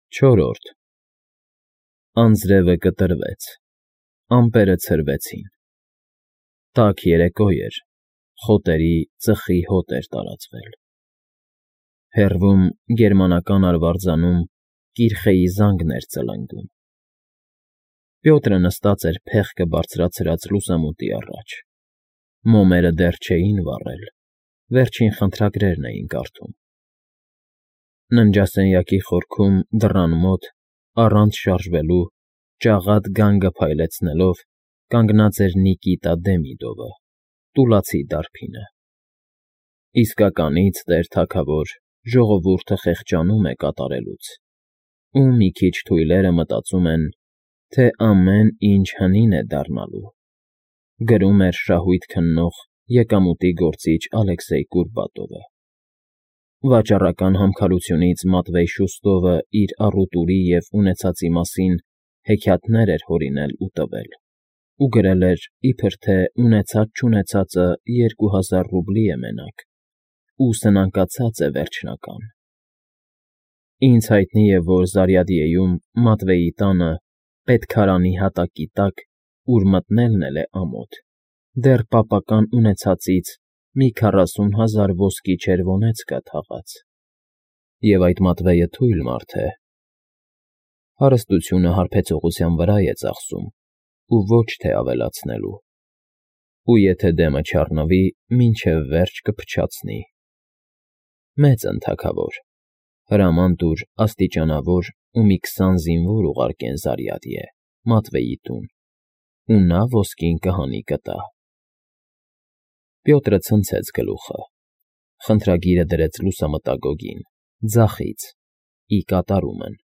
Չորրորդ Անձրևը կտրվեց, ամպերը ցրվեցին, տաք երեկո էր, խոտերի ծխի հոտ էր տարածվել, հեռվում գերմանական արվարձանում կիրխեի զանգն էր ծլնգում, Պյոտրը նստած էր փեղկը բարձրացրած լուսամուտի առաջ, մոմերը դեռ չէին վառել, վերջին խնդրագրերն էին կարդում, ննջասենյակի խորքում դռան մոտ, առանց շարժվելու, ճաղատ գանգը փայլեցնելով, կանգնած էր Նիկիտա Դեմիդովը, տուլացի դարբինը, իսկականից, տեր թագավոր, ժողովուրդը խեղճանում է կատարելուց, ու մի քիչ թույլերը մտածում են, թե ամեն ինչ հնին է դառնալու, գրում էր շահույթ քննող եկամուտի գործիչ Ալեքսեյ Կուրբատովը, վաճառական համքարությունից Մատվեյ Շուստովը իր առուտուրի և ունեցածի մասին հեքիաթներ էր հորինել ու տվել, ու գրել էր, իբր թե ունեցած֊չունեցածը 2000 ռուբլի է մենակ, ու սնանկացած է վերջնական. Ինձ հայտնի է, որ Զարյադյեյում Մատվեյի տանը, պետքարանի հատակի տակ, ուր մտնելն էլ է ամոթ, դեռ պապական ունեցածից մի 40,000 ոսկի չերվոնեց կա թաղած, և այդ Մատվեյը թույլ մարդ է, հարստությունը հարբեցողության վրա է ծախսում ու ոչ թե ավելացնելու, ու եթե դեմը չառնվի, մինչև վերջ կփչացնի, մեծ են թագավոր, հրաման տուր աստիճանավոր ու մի 20 զինվոր ուղարկեն Զարյադյե, Մատվեյի տուն, ու նա ոսկին կհանի կտա, Պյոտրը ցնցեց գլուխը, խնդրագիրը դրեց լուսամտագոգին, ձախից, ի կատարումն,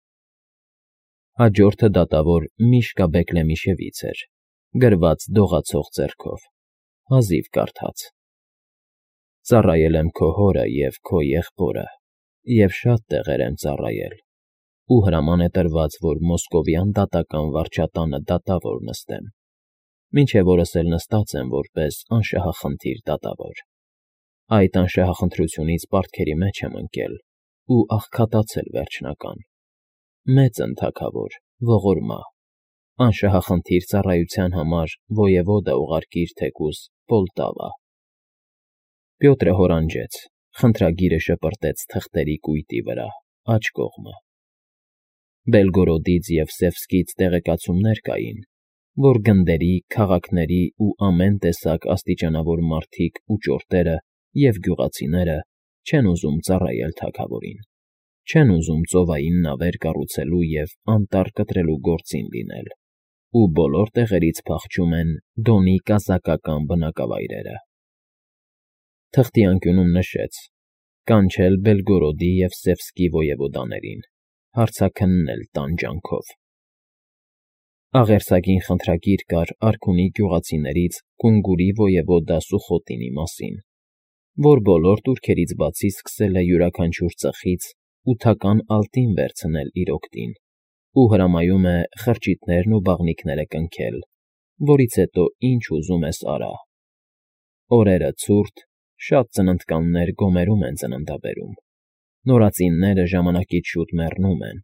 հաջորդը դատավոր Միշկա Բեկլեմիշևից էր, գրված դողացող ձեռքով, հազիվ կարդաց. Ծառայել եմ քո հորը և քո եղբորը, և շատ տեղեր եմ ծառայել, ու հրաման է տրված, որ Մոսկովյան դատական վարչատանը դատավոր նստեմ, մինչև օրս էլ նստած եմ որպես անշահախնդիր դատավոր, այդ անշահախնդրությունից պարտքերի մեջ եմ ընկել ու աղքատացել վերջնական, մեծ են թագավոր, ողորմա, անշահախնդիր ծառայության համար ոևոդա ուղարկիր թեկուզ Պոլտավա, Պյոտրը հորանջեց, խնդրագիրը շպրտեց թղթերի կույտի վրա, աջ կողմը, Բելգորոդից և Սևսկից տեղեկացումներ կային, որ գնդերի, քաղաքների ու ամեն տեսակ աստիճանավոր մարդիկ ու ճորտերը և գյուղացիները չեն ուզում ծառայել թագավորին, չեն ուզում ծովային նավեր կառուցելու և անտառ կտրելու գործին լինել, ու բոլոր տեղերից փախչում են Դոնի կազակական բնակավայրերը, թղթի անկյունում նշեց. կանչել Բելգորոդի և Սևսկի ոևոդաներին, հարցաքննել տանջանքով, աղերսագին խնդրագիր կար արքունի գյուղացիներից Կունգուրի ոևոդա Սուխոտինի մասին, որ բոլոր տուրքերից բացի սկսել է յուրաքանչյուր ծխից ութական ալտին վերցնել իր օգտին ու հրամայում է խրճիթներն ու բաղնիքները կնքել, որից հետո ինչ ուզում ես արա, օրերը ցուրտ, շատ ծննդկաններ գոմերում են ծննդաբերում, նորածինները ժամանակից շուտ մեռնում են,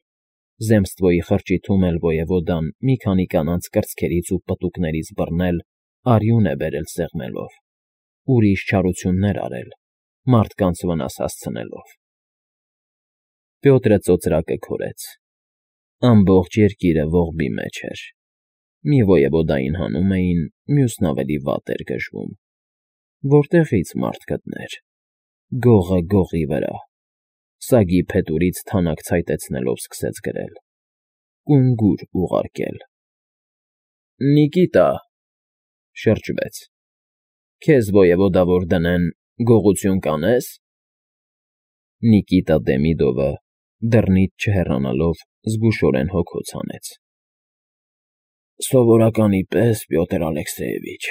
Զեմստվոյի խրճիթում էլ ոևոդան մի քանի կանանց կրծքերից ու պտուկներից բռնել արյուն է բերել սեղմելով, ուրիշ չարություններ արել, մարդկանց վնաս հասցնելով, Պյոտրը ծոծրակը քորեց, ամբողջ երկիրը ողբի մեջ էր, մի ոևոդային հանում էին, մյուսն ավելի վատ էր գժվում, որտեղի՞ց մարդ գտներ, գողը գողի վրա, սագի փետուրից թանաք ցայտեցնելով սկսեց գրել. Կունգուր ուղարկել, Նիկիտա, շրջվեց, քեզ ոևոդավոր դնեն, գողություն կանես, Նիկիտա Դեմիդովը դռնից չհեռանալով զգուշորեն հոգոց հանեց, Սովորականի պես, Պյոտր Ալեքսեյևիչ,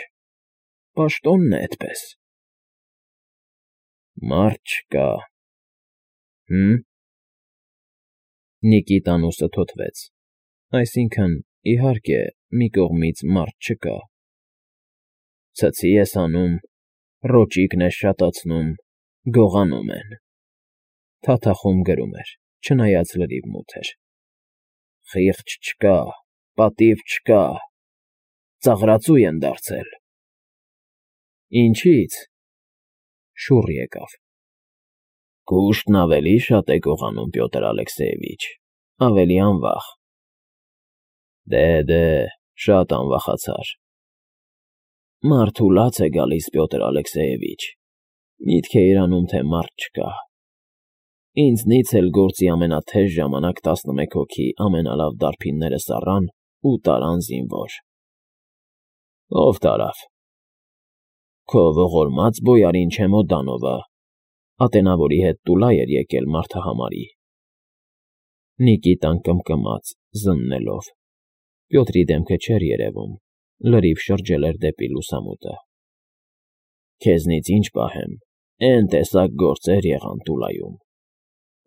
պաշտոնն է էդպես, Մարդ չկա, Նիկիտան ուսը թոթվեց, այսինքն, իհարկե, մի կողմից մարդ չկա, Ցցի ես անում, ռոճիկն ես շատացնում, գողանում են, Թաթախում գրում էր, չնայած լրիվ մութ էր, Խիղճ չկա, պատիվ չկա, ծաղրածու են դարձել։ Ինչի՞ց։ Շուռ եկավ։ Կուշտն ավելի շատ է գողանում, Պյոտր Ալեքսեևիչ, ավելի անվախ։ Դե, շատ անվախացար։ Մարդու լաց է գալիս, Պյոտր Ալեքսեևիչ, միտք է իրանում, թե մարդ չկա։ Ինձնից էլ գործի ամենաթեժ ժամանակ 11 հոգի ամենալավ դարբինները սառան ու տարան զինվոր։ Ով տարավ։ Քո ողորմած բոյարին Չեմոդանովը, ատենավորի հետ Տուլա էր եկել մարդահամարի։ Նիկիտան կմկմաց, զննելով։ Պյոտրի դեմքը չէր երևում, լրիվ շրջել էր դեպի լուսամուտը։ Քեզնից ինչ պահեմ, էն տեսակ գործեր եղան Տուլայում։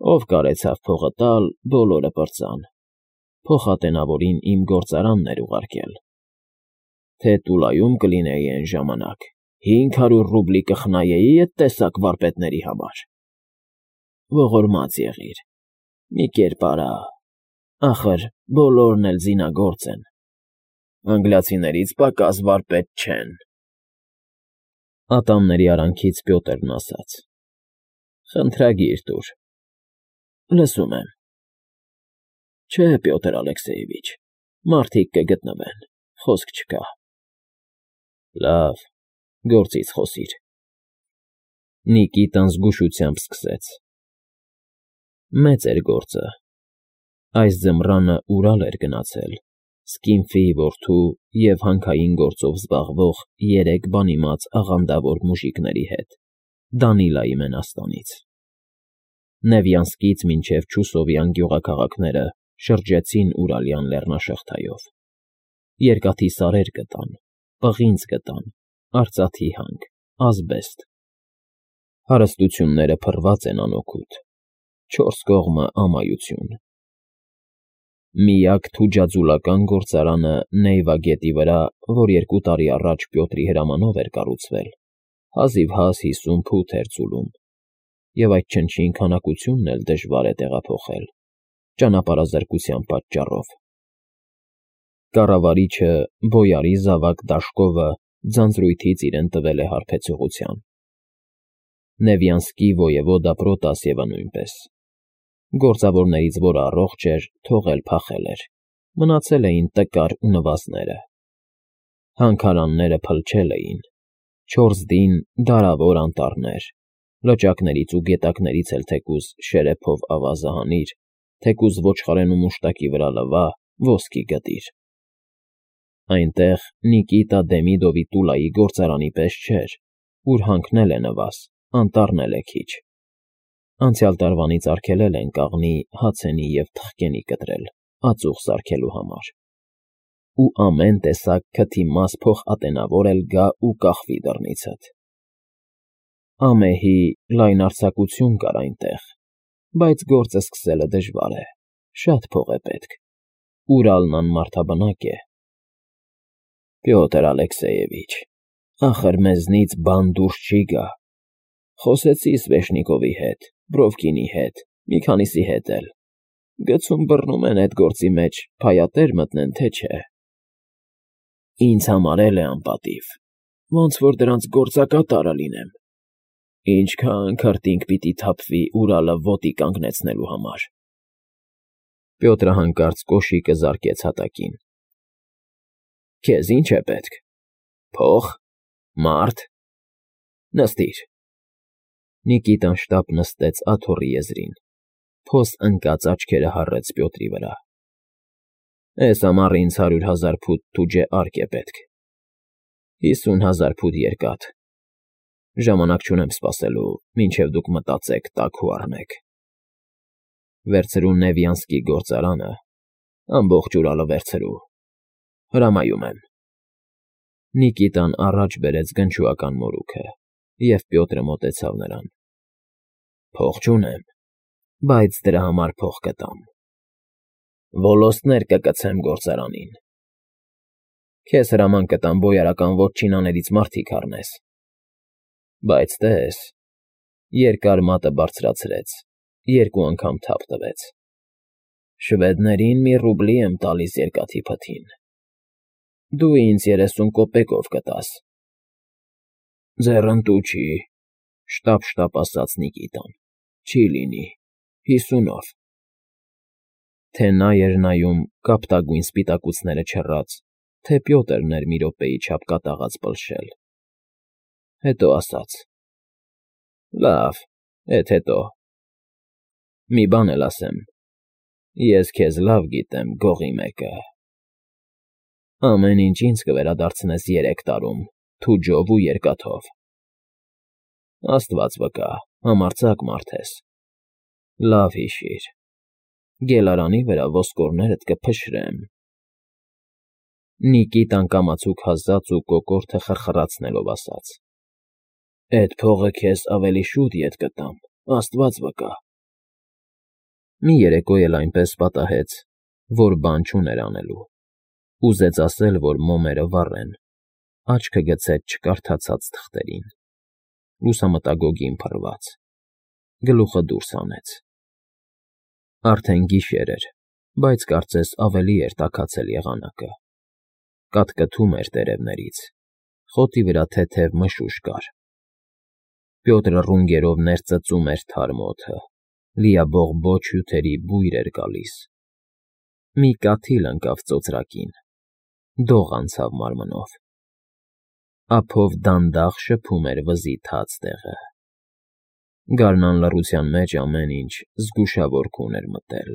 Ով կարեցավ փողը տալ, բոլորը պրծան։ Փոխատենավորին իմ գործարանն էր ուղարկել։ Թե Տուլայում կլինեի այն ժամանակ, 500 ռուբլի կխնայեի էդ տեսակ վարպետների համար։ Ողորմած եղիր, մի կերպ արա, ախր բոլորն էլ զինագործ են։ Անգլիացիներից պակաս վարպետ չեն։ Ատամների արանքից Պյոտրն ասաց. Խնդրագիր տուր։ Լսում եմ։ Չէ, Պյոտր Ալեքսեևիչ, մարդիկ կգտնվեն, խոսք չկա։ Լավ, գործից խոսիր։ Նիկիտան զգուշությամբ սկսեց։ Մեծ էր գործը։ Այս ձմռանը Ուրալ էր գնացել, Սկինֆիի որդու և հանքային գործով զբաղվող 3 բանիմաց աղանդավոր մուժիկների հետ, Դանիլայի մենաստանից։ Նևյանսկից մինչև Չուսովյան գյուղաքաղաքները շրջեցին Ուրալյան լեռնաշղթայով։ Երկաթի սարեր գտան, պղինձ գտան, արծաթի հանք, ազբեստ։ Հարստությունները փռված են անօգուտ, 4 կողմը ամայություն։ Միակ թուջաձուլական գործարանը Նեյվա գետի վրա, որ 2 տարի առաջ Պյոտրի հրամանով էր կառուցվել, հազիվհազ 50 փութ էր ծուլում, և այդ չնչին քանակությունն էլ դժվար է տեղափոխել, ճանապարհազրկության պատճառով։ Կառավարիչը, բոյարի զավակ Դաշկովը ձանձրույթից իրեն տվել է հարբեցողության։ Նևյանսկի ոևոդա Պրոտասևը նույնպես։ Գործավորներից որը առողջ էր, թողել փախել էր, մնացել էին տկար ու նվազները։ Հանքարանները փլչել էին, 4 դին դարավոր անտառներ, լճակներից ու գետակներից էլ թեկուզ շերեփով ավազը հանիր, թեկուզ ոչխարեն ու մուշտակի վրա լվա, ոսկի գտիր։ Այնտեղ Նիկիտա Դեմիդովի Տուլայի գործարանի պես չէր, ուր հանքնել է նվազ, անտառնել է քիչ։ Անցյալ տարվանից արգելել են կաղնի, հացենի և թխկենի կտրել, ածուխ սարքելու համար։ Ու ամեն տեսակ քթի մաս փոխատենավոր էլ գա ու կախվի դռնիցդ։ Ամեհի լայնարձակություն կար այնտեղ, բայց գործը սկսելը դժվար է, շատ փող է պետք, Ուրալն անմարդաբնակ է։ Պյոտր Ալեքսեևիչ, ախր մեզնից բան դուրս չի գա։ Խոսեցի Սվեշնիկովի հետ, Բրովկինի հետ, մի քանիսի հետ էլ։ Գցում բռնում են այդ գործի մեջ, փայատեր մտնեն, թե չէ։ Ինձ համար էլ է անպատիվ, ոնց որ դրանց գործակատարը լինեմ։ Ինչքան քրտինք պիտի թափվի Ուրալը ոտի կանգնեցնելու համար։ Պյոտրը հանկարծ կոշիկը զարկեց հատակին։ Քեզ ինչ է պետք։ Փող, մարդ։ Նստիր։ Նիկիտան շտապ նստեց աթոռի եզրին, փոս ընկած աչքերը հառեց Պյոտրի վրա։ Էս ամառ ինձ 100,000 փութ թուջե արկ է պետք, 50,000 փութ երկաթ։ Ժամանակ չունեմ սպասելու, մինչև դուք մտածեք, տաք ու առնեք։ Վերցրու Նևյանսկի գործարանը, ամբողջ Ուրալը վերցրու։ Հրամայում եմ։ Նիկիտան առաջ բերեց գնչուական մորուքը, և Պյոտրը մոտեցավ նրան։ Փող չունեմ, բայց դրա համար փող կտամ։ Ոլոստներ կկցեմ գործարանին։ Քեզ հրաման կտամ բոյարական ոչինաներից մարդիկ առնես։ Բայց տես, երկար մատը բարձրացրեց, 2 անգամ թափ տվեց։ Շվեդներին մի ռուբլի եմ տալիս երկաթի փթին։ Դու ինձ 30 կոպեկով կտաս։ Ձեռնտու չի, շտապ ասաց Նիկիտան։ Չի լինի, 50-ով։ Թե նա էր նայում կապտագույն սպիտակուցները չռած, թե Պյոտրն էր մի րոպեի չափ կատաղած պլշել։ Հետո ասաց. Լավ, էդ հետո։ Մի բան էլ ասեմ. ես քեզ լավ գիտեմ, գողի մեկը։ Ամեն ինչ ինձ կվերադարձնես 3 տարում, թուջով ու երկաթով։ Աստված վկա, համարձակ մարդ ես։ Լավ հիշիր, գելարանի վրա ոսկորներդ կփշրեմ։ Նիկիտան կամացուկ հազաց ու կոկորդը խրխրացնելով ասաց. Էդ փողը քեզ ավելի շուտ ետ կտամ, Աստված վկա։ Մի երեկո էլ այնպես պատահեց, որ բան չուներ անելու։ Ուզեց ասել, որ մոմերը վառեն, աչքը գցեց չկարդացած թղթերին։ Լուսամտագոգին փռված։ Գլուխը դուրս հանեց։ Արդեն գիշեր էր, բայց կարծես ավելի էր տաքացել եղանակը։ Կատկթում էր տերևներից, խոտի վրա թեթև մշուշ կար։ Պյոտրը ռունգերով ներծծում էր թարմ օդը, լիաբողբոջ հյութերի բույր էր գալիս։ Մի կաթիլ ընկավ ծոծրակին, դող անցավ մարմնով։ Ափով դանդաղ շփում էր վզի թաց տեղը։ Գարնան լռության մեջ ամեն ինչ զգուշավոր էր մտել։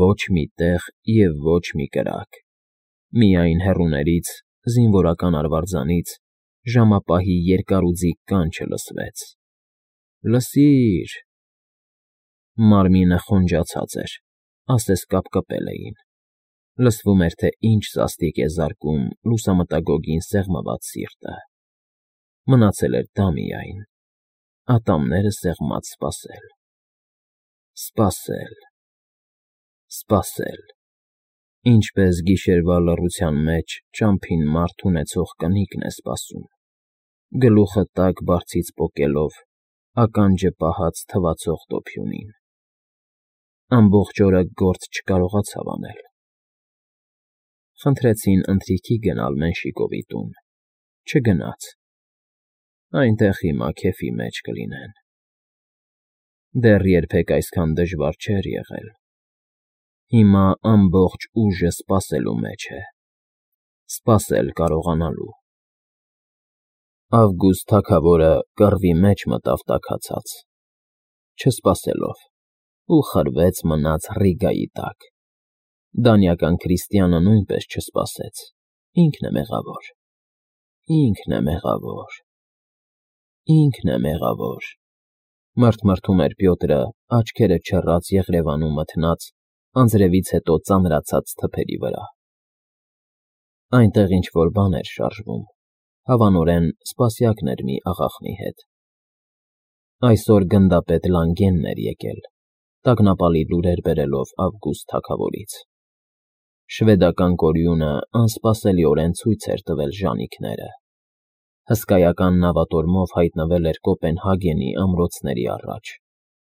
Ոչ մի տեղ և ոչ մի կրակ։ Միայն հեռուներից, զինվորական արվարձանից, ժամապահի երկարուձիգ կանչը լսվեց. Լսի՛ր… Մարմինը խոնջացած էր, ասես կապկպել էին։ Լսվում էր, թե ինչ սաստիկ է զարկում լուսամտագոգին սեղմված սիրտը։ Մնացել էր դա միայն, ատամները սեղմած սպասել։ Սպասել… Ինչպես գիշերվա լռության մեջ ճամփին մարդ ունեցող կնիկն է սպասում, գլուխը տակ բարձից պոկելով, ականջը պահած թվացող դոփյունին։ Ամբողջ օրը գործ չկարողացավ անել։ Խնդրեցին ընթրիքի գնալ Մենշիկովի տուն։ Չգնաց։ Այնտեղ հիմա քեֆի մեջ կլինեն։ Դեռ երբեք այսքան դժվար չէր եղել։ Հիմա ամբողջ ուժը սպասելու մեջ է։ Սպասել կարողանալու։ Ավգուստ թագավորը կռվի մեջ մտավ տաքացած, չսպասելով, ու խրվեց մնաց Ռիգայի տակ։ Դանիական քրիստյանը նույնպես չսպասեց, ինքն է մեղավոր։ Ինքն է մեղավոր։ Ինքն է մեղավոր։ Մռթմռթում էր Պյոտրը, աչքերը չռած եղրևանում մթնած, անձրևից հետո ծանրացած թփերի վրա։ Այնտեղ ինչ֊որ բան էր շարժվում, հավանորեն սպասյակն էր մի աղախնի հետ։ Այսօր գնդապետ Լանգենն էր եկել, տագնապալի լուրեր բերելով Ավգուստ թագավորից։ Շվեդական կորյունը անսպասելիորեն ցույց էր տվել ժանիքները։ Հսկայական նավատորմով հայտնվել էր Կոպենհագենի ամրոցների առաջ,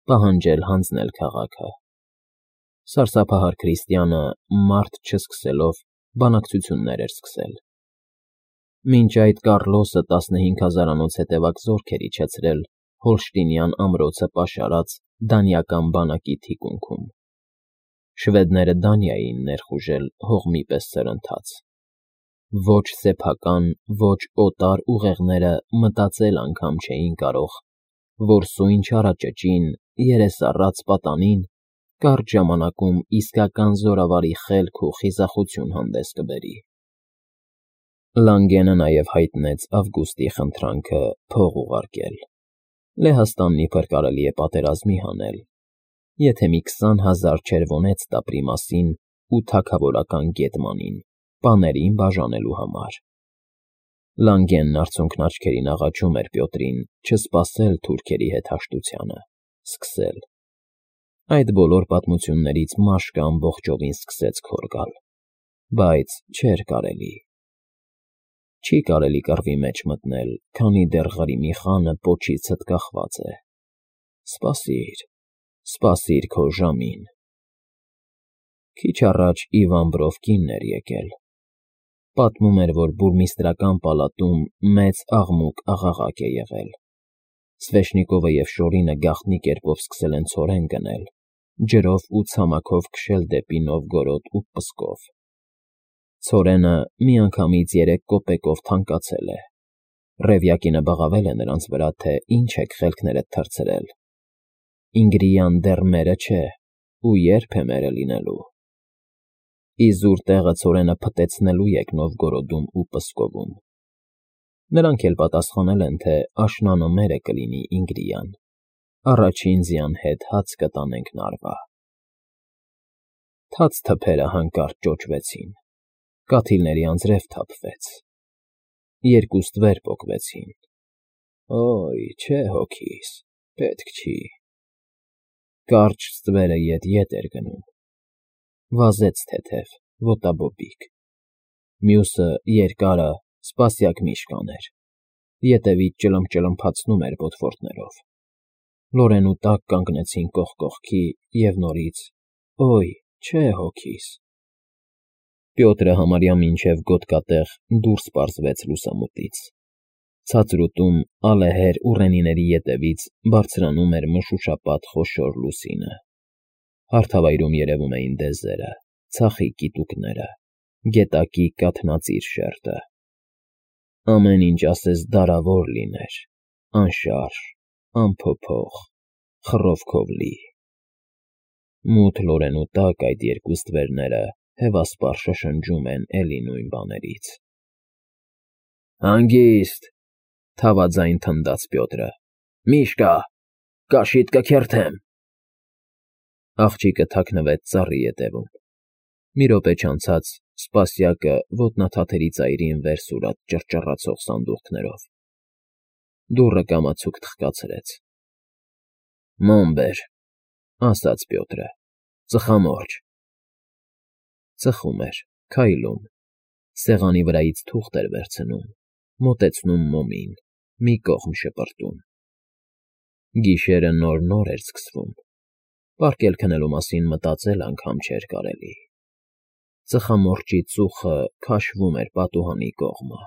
պահանջել հանձնել քաղաքը։ Սարսափահար քրիստյանը մարդ չսկսելով բանակցություններ էր սկսել։ Մինչ այդ Կառլոսը 15,000-անոց հետևակ զորքեր իջեցրել Հոլշտինյան ամրոցը պաշարած դանիական բանակի թիկունքում։ Շվեդները Դանիային ներխուժել հողմի պես սրընթաց։ Ոչ սեփական, ոչ օտար ուղեղները մտածել անգամ չէին կարող, որ սույն չարաճճին, երեսառած պատանին կարճ ժամանակում իսկական զորավարի խելք ու խիզախություն հանդես կբերի։ Լանգենը նաև հայտնեց Ավգուստի խնդրանքը փող ուղարկել։ Լեհաստանն իբր կարելի է պատերազմի հանել, եթե մի 20,000 չերվոնեց տապրի մասին ու թագավորական գետմանին, պաներին բաժանելու համար։ Լանգենն արցունքն աչքերին աղաչում էր Պյոտրին չսպասել թուրքերի հետ հաշտությանը, սկսել։ Այդ բոլոր պատմություններից մաշկը ամբողջովին սկսեց քոր գալ, բայց չէր կարելի։ Չի կարելի կռվի մեջ մտնել, քանի դեռ Ղրիմի խանը պոչիցդ կախված է։ Սպասիր, սպասիր քո ժամին։ Քիչ առաջ Իվան Բրովկինն էր եկել։ Պատմում էր, որ բուրմիստրական պալատում մեծ աղմուկ-աղաղակ է եղել։ Սվեշնիկովը և Շորինը գաղտնի կերպով սկսել են ցորեն գնել, ջրով ու ցամաքով քշել դեպի Նովգորոդ ու Պսկով։ Ցորենը միանգամից 3 կոպեկով թանկացել է։ Ռևյակինը բղավել է նրանց վրա, թե ինչ եք խելքներդ թռցրել։ Ինգրիան դեռ մերը չէ, ու երբ է մերը լինելու։ Իզուր տեղը ցորենը փտեցնելու եք Նովգորոդում ու Պսկովում։ Նրանք էլ պատասխանել են, թե աշնանը մերը կլինի Ինգրիան։ Առաջին ձյան հետ հաց կտանենք Նարվա։ Թաց թփերը հանկարծ ճոճվեցին։ Կաթիլների անձրև թափվեց։ 2 ստվեր պոկվեցին։ Օյ, չէ հոգիս, պետք չի։ Կարճ ստվերը ետ էր գնում։ Վազեց թեթև, ոտաբոբիկ։ Մյուսը երկարը սպասյակ միշկան էր։ Ետևից ճլմփաչնում էր ոտվորդներով։ Լորենու տակ կանգնեցին կողք կողքի և նորից. Օյ, չէ հոգիս։ Պյոտրը համարյա մինչև գոտկատեղ դուրս պարզվեց լուսամուտից։ Ցածրուտում ալեհեր ուռենիների ետևից բարձրանում էր մշուշապատ խոշոր լուսինը։ Հարթավայրում երևում էին դեզերը, ցախի կիտուկները, գետակի կաթնածիր շերտը։ Ամեն ինչ ասես դարավոր լիներ, անշարժ, անփոփոխ, խռովքով լի։ Մութ Լորենու տակ այդ 2 ստվերները հևասպառ շշնջում են էլի նույն բաներից։ Հանգիստ, թավաձայն թնդաց Պյոտրը։ Միշկա, կաշիդ կքերթեմ։ Աղջիկը թաքնվեց ծառի ետևում։ Մի րոպե չանցած սպասյակը ոտնաթաթերի ծայրին վեր սուրաց ճռճռացող սանդուղքներով։ Դուռը կամացուկ թխկացրեց։ Մոմ բեր, ասաց Պյոտրը, ծխամորճ։ Ծխում էր, քայլում, սեղանի վրայից թուղթ էր վերցնում, մոտեցնում մոմին, մի կողմ շպրտում։ Գիշերը նոր էր սկսվում։ Պարկել քնելու մասին մտածել անգամ չէր կարելի։ Ծխամորճի ծուխը քաշվում էր պատուհանի կողմը,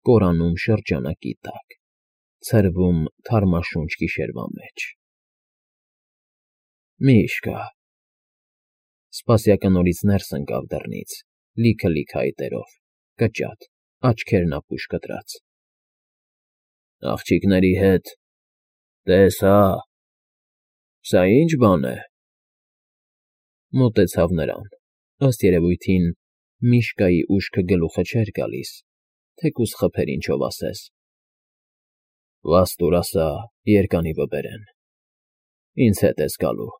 կորանում շրջանակի տակ, ցրվում թարմաշունչ գիշերվա մեջ։ Միշկա։ Սպասյակը նորից ներս ընկավ դռնից, լիքը այտերով, կճատ, աչքերն ապուշ կտրած։ Աղջիկների հետ, տես հա, սա ի՞նչ բան է։ Մոտեցավ նրան, ըստ երևույթին Միշկայի ուշքը գլուխը չէր գալիս, թեկուզ խփեր ինչով ասես։ Վաստուր ասա, երկանի վբերեն։ Ինձ հետ ես գալու։